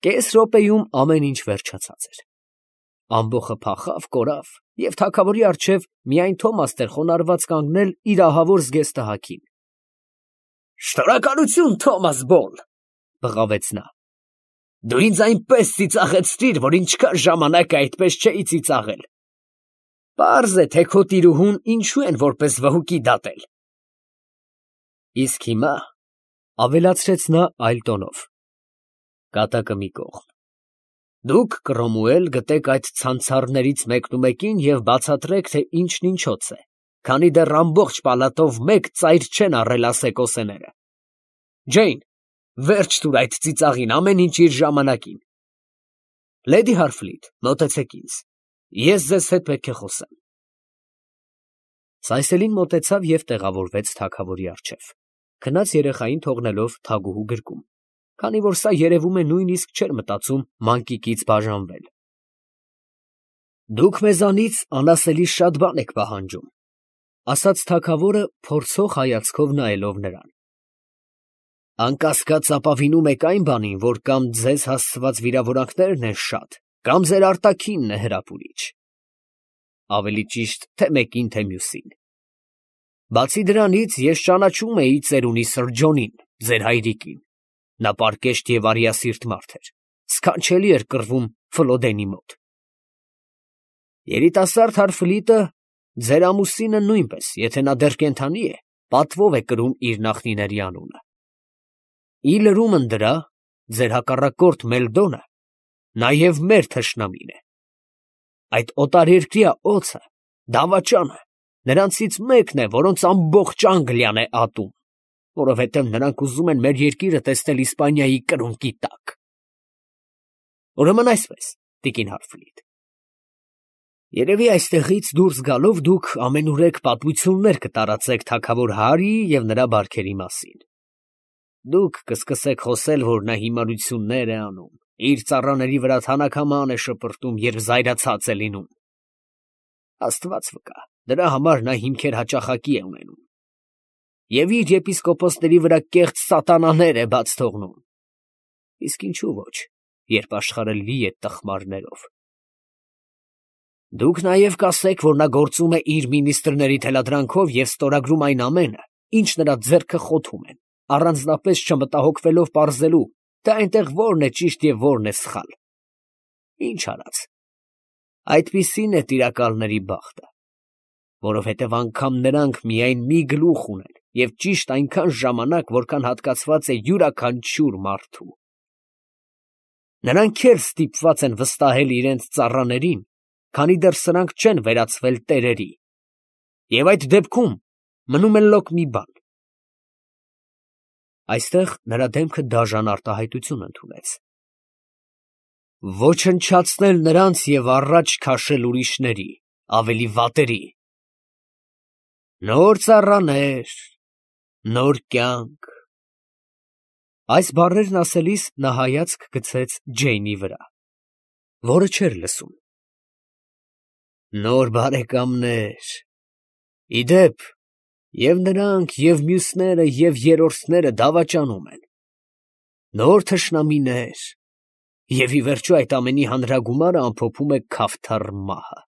Կես րոպեում ամեն ինչ վերջացած էր։ Ամբոխը փախավ, կորավ, և թագավորի առջև միայն Թոմասն էր խոնարհված կանգնել իր ահավոր զգեստահագին։ «Շնորհակալություն, Թոմաս Բոլ», բղավեց նա։ «Դու ինձ այնպես ծիծաղեցրիր, որ ինչքան ժամանակ է այդպես չէի ծիծաղել։ Պարզ է, թե քո տիրուհուն ինչու են որպես վհուկի դատել։ Իսկ հիմա, ֊ ավելացրեց նա այլ տոնով, ֊ կատակը մի կողմ, դուք, Կռոմուել, գտեք այդ ցանցառներից մեկնումեկին և բացատրեք, թե ինչն ինչոց է, քանի դեռ ամբողջ պալատով մեկ ծայր չեն առել ասեկոսեները։ Ջեյն, վերջ տուր այդ ծիծաղին, ամեն ինչ իր ժամանակին։ Լեդի Հարֆլիտ, մոտեցեք ինձ, ես ձեզ հետ պետք է խոսեմ։ Սայսելին մոտեցավ և տեղավորվեց թագավորի առջև, քնած երեխային թողնելով թագուհու գրկում, քանի որ սա երևում է նույնիսկ չէր մտածում մանկիկից բաժանվել։ Դուք մեզանից անասելի շատ բան եք պահանջում, ֊ ասաց թագավորը փորձող հայացքով նայելով նրան։ Անկասկած ապավինում եք այն բանին, որ կամ ձեզ հասցված վիրավորանքներն են շատ, կամ ձեր արտաքինն է հրապուրիչ։ Ավելի ճիշտ, թե մեկին, թե մյուսին։ Բացի դրանից, ես ճանաչում էի ծերունի Սրջոնին, ձեր հայրիկին։ Նա պարկեշտ և արիասիրտ մարդ էր, սքանչելի էր կռվում Ֆլոդենի մոտ։ Երիտասարդ Հարֆլիտը, ձեր ամուսինը նույնպես, եթե նա դեռ կենդանի է, պատվով է կրում իր նախնիների անունը։ Ի լրումն դրա, ձեր հակառակորդ Մելդոնը նաև մեր թշնամին է։ Այդ օտարերկրյա օձը, դավաճանը, նրանցից մեկն է, որոնց ամբողջ Անգլիան է ատում, որովհետև նրանք ուզում են մեր երկիրը տեսնել Իսպանիայի կրունկի տակ։ Ուրեմն այսպես, տիկին Հարֆլիտ, երևի այստեղից դուրս գալով դուք ամենուրեք պատմություններ կտարածեք թագավոր Հարիի և նրա բարքերի մասին։ Դուք կսկսեք խոսել, որ նա հիմարություններ է անում, իր ծառաների վրա թանաքաման է շպրտում, երբ զայրացած է լինում։ Աստված վկա, դրա համար նա հիմքեր հաճախակի է ունենում։ Եվ իր եպիսկոպոսների վրա կեղծ սատանաներ է բաց թողնում։ Իսկ ինչու ոչ, երբ աշխարհը լի է տխմարներով։ Դուք նաև կասեք, որ նա գործում է իր մինիստրների թելադրանքով և ստորագրում այն ամենը, ինչ նրա ձեռքը խոթում են, առանձնապես չմտահոգվելով պարզելու, թե այնտեղ որն է ճիշտ և որն է սխալ։ Ինչ արած, այդպիսին է տիրակալների բախտը, որովհետև անգամ նրանք միայն մի գլուխ ունեն և ճիշտ այնքան ժամանակ, որքան հատկացված է յուրաքանչյուր մարդու։ Նրանք էլ ստիպված են վստահել իրենց ծառաներին, քանի դեռ սրանք չեն վերածվել տերերի, և այդ դեպքում մնում է լոկ մի բան։ Այստեղ նրա դեմքը դաժան արտահայտություն ընդունեց։ Ոչնչացնել նրանց և առաջ քաշել ուրիշների, ավելի վատերի։ Նոր ծառաներ, նոր կյանք։ Այս բառերն ասելիս նա հայացք գցեց Ջեյնի վրա, որը չէր լսում։ Նոր բարեկամներ։ Ի դեպ, և նրանք, և մյուսները, և երրորդները դավաճանում են։ Նոր թշնամիներ, և ի վերջո այդ ամենի հանրագումարը ամփոփում է Քավթար մահը։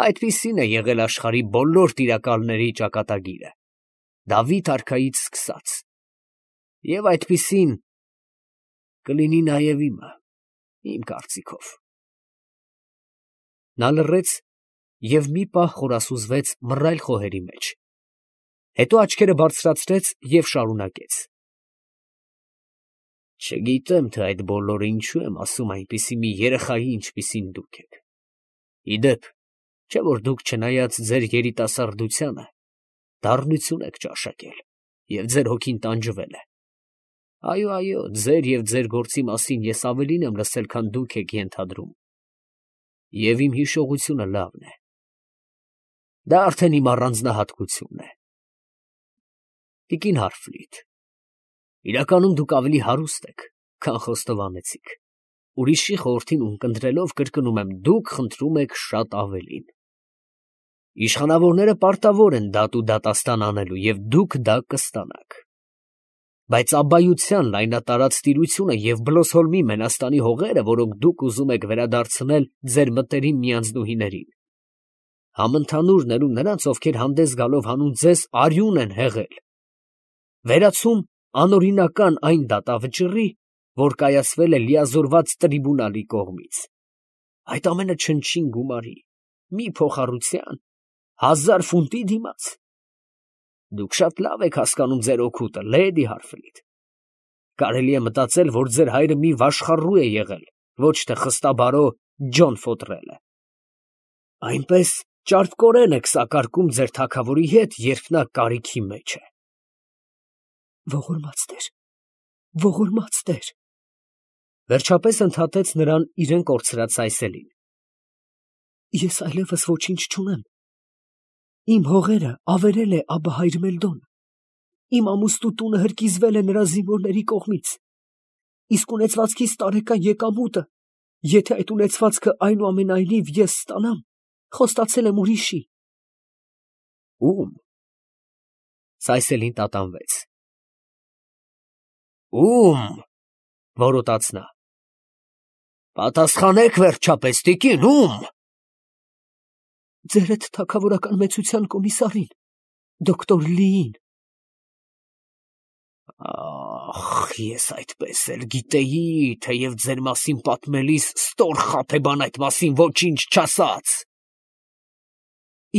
Այդպիսին է եղել աշխարհի բոլոր տիրակալների ճակատագիրը, Դավիթ արքայից սկսած, և այդպիսին կլինի նաև իմը, իմ կարծիքով։ Նա լռեց և մի պահ խորասուզվեց մռայլ խոհերի մեջ, հետո աչքերը բարձրացրեց և շարունակեց. Չգիտեմ, թե այդ բոլորը ինչու եմ ասում այնպիսի մի երեխայի, ինչպիսին դուք եք։ Ի դեպ, չէ՞ որ դուք, չնայած ձեր երիտասարդությանը, դառնություն եք ճաշակել, և ձեր հոգին տանջվել է։ Այո, ձեր և ձեր գործի մասին ես ավելին եմ լսել, քան դուք եք ենթադրում, և իմ հիշողությունը լավն է։ Դա արդեն իմ առանձնահատկությունն է։ Տիկին Հարֆլիտ, իրականում դուք ավելի հարուստ եք, քան խոստովանեցիք։ Ուրիշի խորհրդին ունկնդրելով, կրկնում եմ, դուք խնդրում եք շատ ավելին։ Իշխանավորները պարտավոր են դատ ու դատաստան անելու, և դուք դա կստանաք։ Բայց աբայության լայնատարած տիրությունը և Բլոսհոլմի Մենաստանի հողերը, որոնք դուք ուզում եք վերադարձնել ձեր մտերիմ միանձնուհիներին, համընդհանուր ներում նրանց, ովքեր հանդես գալով հանուն ձեզ արյուն են հեղել, վերացում անօրինական այն դատավճռի, որ կայացվել է լիազորված տրիբունալի կողմից, այդ ամենը չնչին գումարի, մի փոխառության, 1000 ֆունտի դիմաց։ Դուք շատ լավ եք հասկանում ձեր օգուտը, լեդի Հարֆրիդ. կարելի է մտածել, որ ձեր հայրը մի վաշխառու է եղել, ոչ թե խստաբարո Ջոն Ֆոտրելը։ Այնպես ճարպկորեն եք սակարկում ձեր թագավորի հետ, երբ նա կարիքի մեջ է։ Ողորմած Տեր, ողորմած Տեր, վերջապես ընդհատեց նրան իրեն կորցրած Սայսելին։ Ես այլևս ոչինչ չունեմ։ Իմ հողերը ավերել է Աբահայր Մելդոն։ Իմ ամուստու տունը հրկիզվել է նրա զինվորների կողմից։ Իսկ ունեցվածքիս տարեկան եկամուտը, եթե այդ ունեցվածքը այնուամենայնիվ ես ստանամ, խոստացել եմ ուրիշի։ Ում։ Սայսելին տատանվեց։ Ում, որոտաց նա։ Պատասխանեք վերջապես, տիկին, ում։ Ձեր այդ թագավորական մեծության կոմիսարին, դոկտոր Լիին։ Ախ, ես այդպես էլ գիտեի, թեև ձեր մասին պատմելիս ստոր խաբեբան այդ մասին ոչինչ չասաց։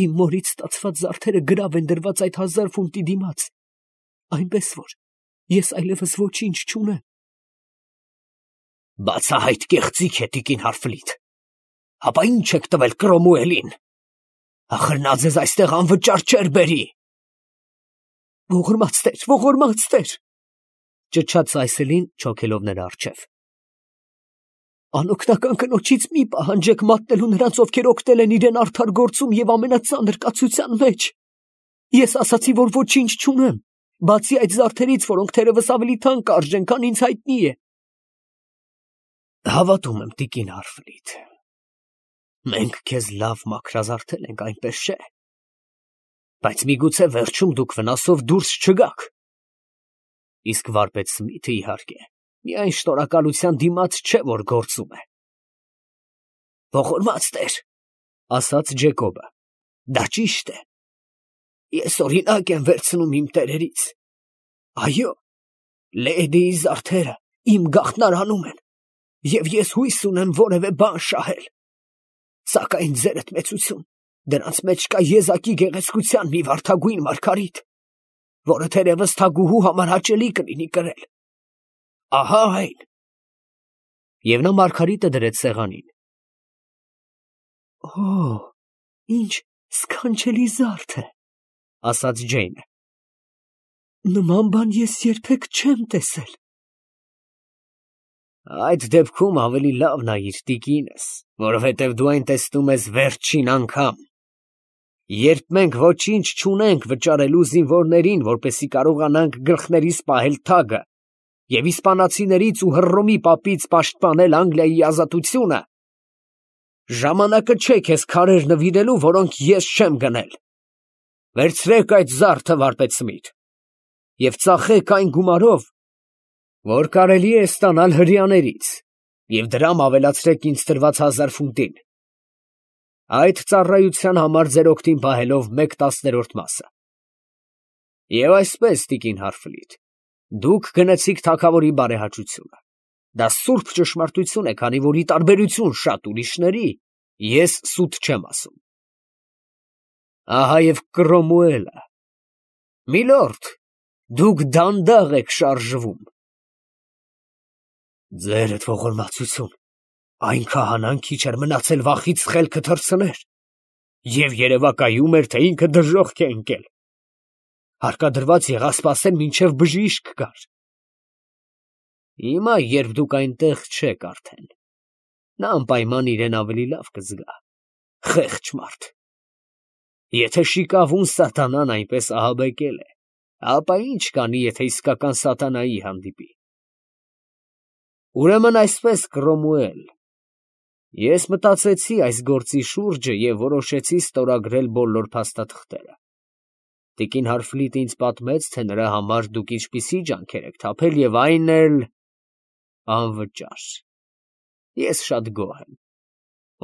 Իմ մորից ստացված զարդերը գրավ են դրված այդ 1000 ֆունտի դիմաց, այնպես որ ես այլևս ոչինչ չունեմ։ Բացահայտ կեղծիք է, տիկին Հարֆլիտ։ Հապա ինչ եք տվել Կրոմուելին։ Ախր նա ձեզ այստեղ անվճար չէր բերի։ Ողորմած Տեր, ճչաց Սայսելին, չոքելով նրա առջև։ Անօգնական կնոջից մի պահանջեք մատնելու նրանց, ովքեր օգնել են իրեն արդար գործում և ամենածանր կացության մեջ։ Ես ասացի, որ ոչինչ չունեմ, բացի այդ զարդերից, որոնք թերևս ավելի թանկ արժեն, քան ինձ հայտնի է։ Հավատում եմ, տիկին Հարֆրիդ, մենք քեզ լավ մաքրազարդել ենք, այնպես չէ։ Բայց միգուցե վերջում դուք վնասով դուրս չգաք։ Իսկ վարպետ Սմիթը, իհարկե, միայն շնորհակալության դիմաց չէ, որ գործում է։ Ողորմած Տեր, ասաց Ջեկոբը, դա ճիշտ է։ Ես օրինակ եմ վերցնում իմ տերերից։ Այո, լեդիի զարդերը իմ գաղտնարանում են, և ես հույս ունեմ որևէ բան շահել։ Սակայն ձերդ մեծություն, դրանց մեջ կա եզակի գեղեցկության մի վարդագույն մարգարիտ, որը թերևս թագուհու համար հաճելի կլինի կրել։ Ահա այն։ Եվ նա մարգարիտը դրեց սեղանին։ Օ, ինչ սքանչելի զարդ է, ասաց Ջեյնը։ Նման բան ես երբեք չեմ տեսել։ Այդ դեպքում ավելի լավ նայիր, տիկինս, որովհետև դու այն տեսնում ես վերջին անգամ։ Երբ մենք ոչինչ չունենք վճարելու զինվորներին, որպեսզի կարողանանք գլխներիս պահել թագը և իսպանացիներից ու Հռոմի պապից պաշտպանել Անգլիայի ազատությունը, ժամանակը չէ քեզ քարեր նվիրելու, որոնք ես չեմ գնել։ Վերցրեք այդ զարդը, վարպետ Սմիթ, և ծախեք այն գումարով, որ կարելի է ստանալ հրեաներից, և դրամ ավելացրեք ինձ տրված 1000 ֆունտին։ Այդ ծառայության համար ձեր օգտին պահելով 1/10 մասը։ Եվ այսպես, տիկին Հարֆլիտ, դուք գնեցիք թագավորի բարեհաճությունը։ Դա սուրբ ճշմարտություն է, քանի որ ի տարբերություն շատ ուրիշների, ես սուտ չեմ ասում։ Ահա և Կրոմուելը։ Միլորդ, դուք դանդաղ եք շարժվում։ Ձերդ ողորմածություն, այն քահանան քիչ էր մնացել վախից խելքը թռցներ, և երևակայում էր, թե ինքը դժոխք է ընկել։ Հարկադրված եղավ սպասել, մինչև բժիշկ գար։ Հիմա, երբ դուք այնտեղ չեք արդեն, նա անպայման իրեն ավելի լավ կզգա, խեղճ մարդ։ Եթե շիկավուն սատանան այնպես ահաբեկել է, ապա ինչ կանի, եթե իսկական սատանայի հանդիպի։ Ուրեմն այսպես, Կրոմուել, ես մտածեցի այս գործի շուրջը և որոշեցի ստորագրել բոլոր փաստաթղթերը։ Տիկին Հարֆլիտը ինձ պատմեց, թե նրա համար դուք ինչպիսի ջանքեր եք թափել և այն էլ անվճար։ Ես շատ գոհ եմ,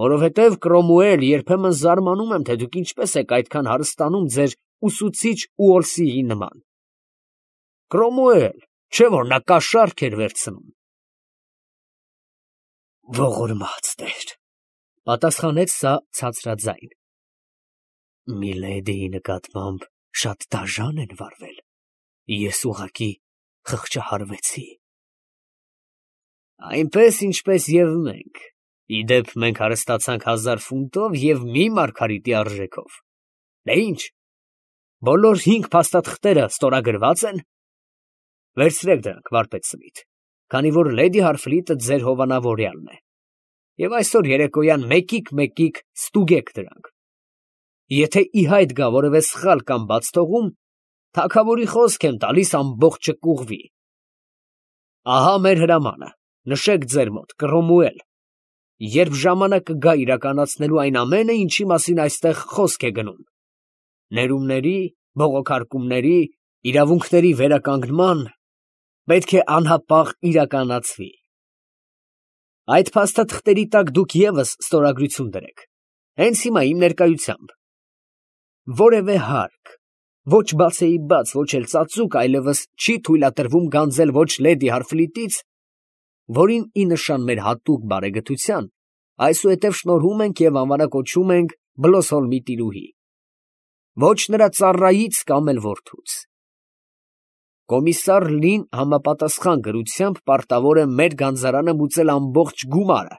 որովհետև Կրոմուել, երբեմն զարմանում եմ, թե դուք ինչպես եք այդքան հարստանում ձեր ուսուցիչ Ուոլսիի նման։ Կրոմուել, չէ՞ որ նա կաշառք էր վերցնում։ Ողորմած Տեր, պատասխանեց սա ցածրաձայն։ Միլեդիի նկատմամբ շատ դաժան են վարվել։ Ես ուղղակի խղճահարվեցի։ Այնպես, ինչպես և մենք։ Ի դեպ, մենք հարստացանք 1000 ֆունտով և մի մարգարիտի արժեքով։ Դե ինչ, բոլոր 5 փաստաթղթերը ստորագրվա՞ծ են։ Վերցրեք դրանք, վարպետ Սմիթ, քանի որ լեդի Հարֆլիտը ձեր հովանավորյալն է, և այսօր երեկոյան մեկիկ ստուգեք դրանք։ Եթե ի հայտ գա որևէ սխալ կամ բաց թողում, թագավորի խոսք եմ տալիս, ամբողջը կուղվի։ Ահա մեր հրամանը, նշեք ձեր մոտ, Կռոմուել, երբ ժամանակը գա իրականացնելու այն ամենը, ինչի մասին այստեղ խոսք է գնում, ներումների, բողոքարկումների, իրավունքների վերականգնման, պետք է անհապաղ իրականացվի։ Այդ փաստաթղթերի տակ դուք ևս ստորագրություն դրեք, հենց հիմա իմ ներկայությամբ։ Որևէ հարկ, ոչ բացեի բաց, ոչ էլ ծածուկ այլևս չի թույլատրվում գանձել ոչ լեդի Հարֆլիտից, որին ի նշան մեր հատուկ բարեգթության այսուհետև շնորհում ենք և անվանակոչում ենք Բլոսհոլմի տիրուհի, ոչ նրա ծառայից կամ էլ որդուց։ Կոմիսար Լին համապատասխան գրությամբ պարտավոր է մեր գանձարանը մուծել ամբողջ գումարը,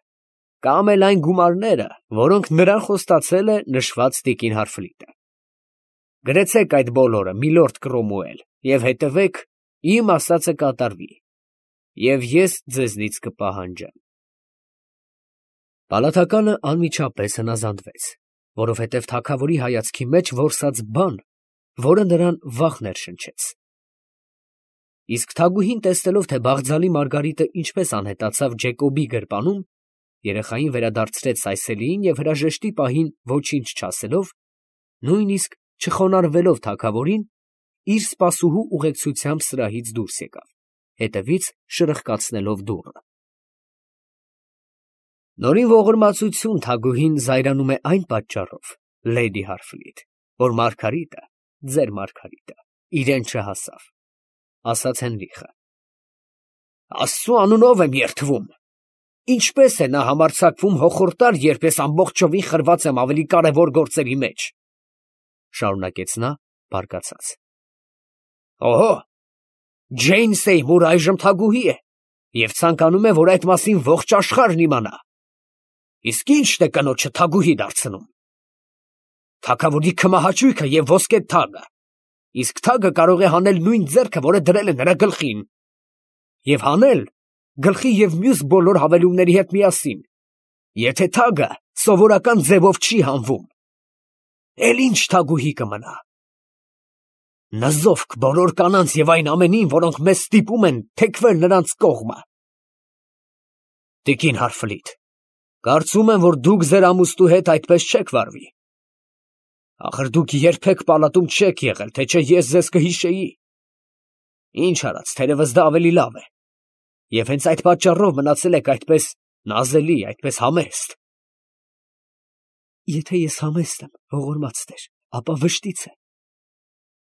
կամ էլ այն գումարները, որոնք նրան խոստացել է նշված տիկին Հարֆլիտը։ Գրեցեք այդ բոլորը, միլորդ Կռոմուել, և հետևեք, իմ ասածը կատարվի, և ես ձեզնից կպահանջեմ։ Պալատականը անմիջապես հնազանդվեց, որովհետև թագավորի հայացքի մեջ որսաց բան, որը նրան վախ ներշնչեց։ Իսկ թագուհին, տեսնելով, թե բաղձալի Մարգարիտը ինչպես անհետացավ Ջեկոբի գրպանում, երեխային վերադարձրեց Սայսելիին և հրաժեշտի պահին ոչինչ չասելով, նույնիսկ չխոնարհվելով թագավորին, իր սպասուհու ուղեկցությամբ սրահից դուրս եկավ, հետևից շրխկացնելով դուռը։ Նորին ողորմածություն թագուհին զայրանում է այն պատճառով, լեդի Հարֆլիտ, որ Մարգարիտը, ձեր Մարգարիտը, իրեն չհասավ, ասաց Հենրիխը։ Աստծու անունով եմ երդվում, ինչպես է նա համարձակվում հոխորտալ, երբ ես ամբողջովին խրված եմ ավելի կարևոր գործերի մեջ, շարունակեց նա բարկացած։ Օհո, Ջեյն Սեյմուրը այժմ թագուհի է և ցանկանում է, որ այդ մասին ողջ աշխարհն իմանա։ Իսկ ի՞նչն է կնոջը թագուհի դարձնում։ Թագավորի քմահաճույքը և ոսկե թագը, իսկ թագը կարող է հանել նույն ձեռքը, որը դրել է նրա գլխին, և հանել գլխի և մյուս բոլոր հավելումների հետ միասին, եթե թագը սովորական ձևով չի հանվում։ Էլ ի՞նչ թագուհի կմնա։ Նզովք բոլոր կանանց և այն ամենին, որոնք մեզ ստիպում են թեքվել նրանց կողմը։ Տիկին Հարֆլիտ, կարծում եմ, որ դուք ձեր ամուսնու հետ այդպես չեք վարվի։ Ախր դուք երբեք պալատում չեք եղել, թե չէ ես ձեզ կհիշեի։ Ինչ արած, թերևս դա ավելի լավ է։ Եվ հենց այդ պատճառով մնացել եք այդպես նազելի, այդպես համեստ։ Եթե ես համեստ եմ, ողորմած Տեր, ապա վշտից է։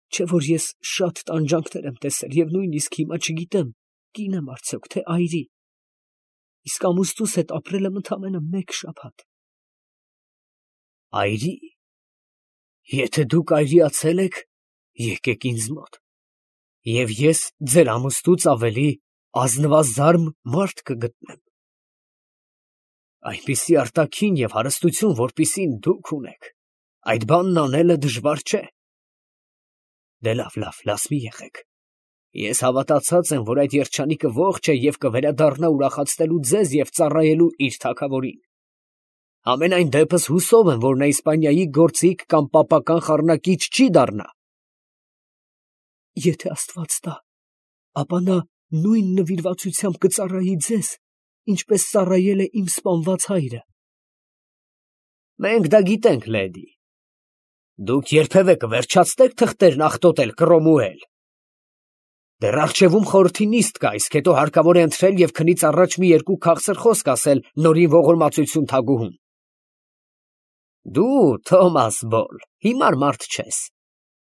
Չէ որ ես շատ տանջանքներ եմ տեսել և նույնիսկ հիմա չգիտեմ, կին եմ արդյոք, թե այրի։ Իսկ ամուսնուս հետ ապրել եմ ընդամենը 1 շաբաթ։ Այրի։ Եթե դուք այրիացել եք, եկեք ինձ մոտ, և ես ձեր ամուսնուց ավելի ազնվազարմ մարդ կգտնեմ։ Այնպիսի արտաքին և հարստություն, որպիսին դուք ունեք, այդ բանն անելը դժվար չէ։ Դե լավ, լաց մի եղեք։ Ես հավատացած եմ, որ այդ երջանիկը ողջ է և կվերադառնա ուրախացնելու ձեզ և ծառայելու իր թագավորին։ Համենայն դեպս հուսով եմ, որ նա Իսպանիայի գործիք կամ պապական խառնակիչ չի դառնա։ Եթե Աստված տա, ապա նա նույն նվիրվածությամբ կծառայի ձեզ, ինչպես ծառայել է իմ սպանված հայրը։ Մենք դա գիտենք, լեդի։ Դուք երբևէ կվերջացնե՞ք թղթերն աղտոտել, Կռոմուել։ Դեռ առջևում խորհրդի նիստ կա, իսկ հետո հարկավոր է ընթրել և քնից առաջ մի երկու քաղցր խոսք ասել նորին ողորմածություն թագուհուն։ Դու, Թոմաս Բոլ, հիմար մարդ չես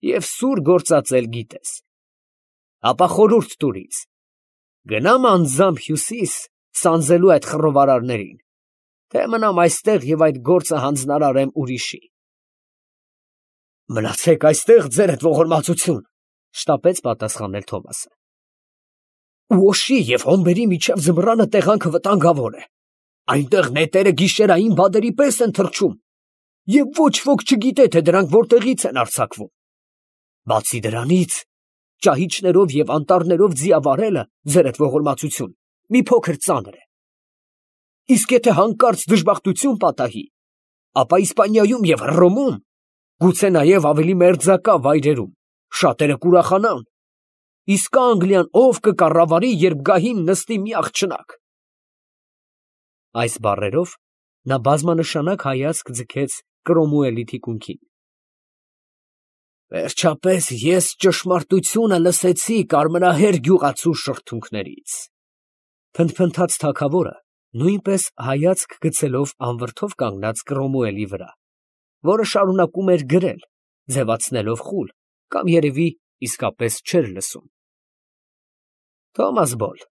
և սուր գործածել գիտես։ Ապա խորհուրդ տուր ինձ. գնամ անձամբ Հյուսիս սանձելու այդ խռովարարներին, թե մնամ այստեղ և այդ գործը հանձնարարեմ ուրիշի։ Մնացեք այստեղ, ձերդ ողորմածություն, շտապեց պատասխանել Թոմասը։ Ուոշի և հոմբերի միջև ձմռանը տեղանքը վտանգավոր է։ Այնտեղ նետերը գիշերային բադերի պես են թռչում, և ոչ ոք չգիտե, թե դրանք որտեղից են արձակվում։ Բացի դրանից, ճահիճներով և անտառներով ձիավարելը, ձերդ ողորմածություն, մի փոքր ծանր է։ Իսկ եթե հանկարծ դժբախտություն պատահի, ապա Իսպանիայում և Հռոմում, գուցե նաև ավելի մերձակա վայրերում, շատերը կուրախանան, իսկ Անգլիան ով կկառավարի, երբ գահին նստի մի աղջնակ։ Այս բառերով նա բազմանշանակ հայացք ձգեց Կրոմուելի թիկունքին։ Վերջապես ես ճշմարտությունը լսեցի կարմրահեր գյուղացու շրթունքներից, փնթփնթաց թագավորը, նույնպես հայացք գցելով անվրդով կանգնած Կռոմուելի վրա, որը շարունակում էր գրել, ձևացնելով խուլ, կամ երևի իսկապես չէր լսում։ Թոմաս Բոլ,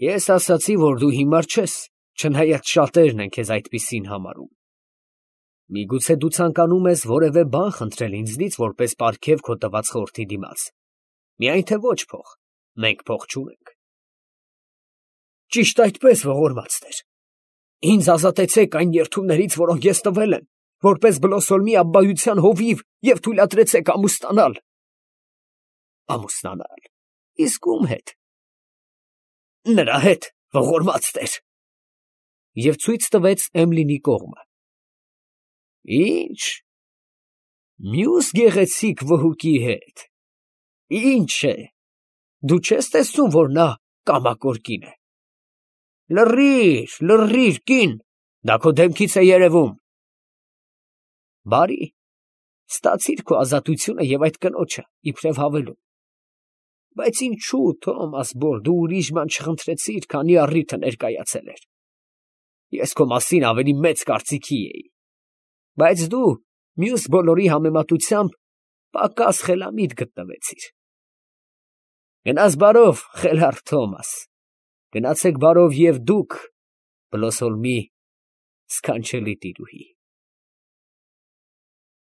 ես ասացի, որ դու հիմար չես, չնայած շատերն են քեզ այդպիսին համարում։ Միգուցե դու ցանկանում ես որևէ բան խնդրել ինձնից, որպես պարգև քո տված խորհրդի դիմաց, միայն թե ոչ փող, մենք փող չունենք։ Ճիշտ այդպես, ողորմած տեր, ինձ ազատեցեք այն երդումներից, որոնք ես տվել եմ, որպես Բլոսոլմի աբբայության հովիվ, և թույլատրեցեք ամուսնանալ։ Ամուսնանալ, իսկ ում հետ։ Նրա հետ, ողորմած տեր։ Եվ ցույց տվեց Էմլինի կողմը։ Ի՞նչ, մյուս գեղեցիկ վհուկի հետ։ Ինչ է, դու չես տեսնում, որ նա կամակոր կին է։ Լռիր, լռիր, կին, դա քո դեմքից է երևում։ Բարի, ստացիր քո ազատությունը և այդ կնոջը, իբրև հավելում։ Բայց ինչու, Թոմաս Բոլ, դու ուրիշ բան չխնդրեցիր, քանի առիթը ներկայացել էր։ Ես քո մասին ավելի մեծ կարծիքի էի, բայց դու մյուս բոլորի համեմատությամբ պակաս խելամիտ գտնվեցիր։ Գնաս բարով, խելառ Թոմաս, գնացեք բարով և դուք, Բլոսոլմի սքանչելի տիրուհի։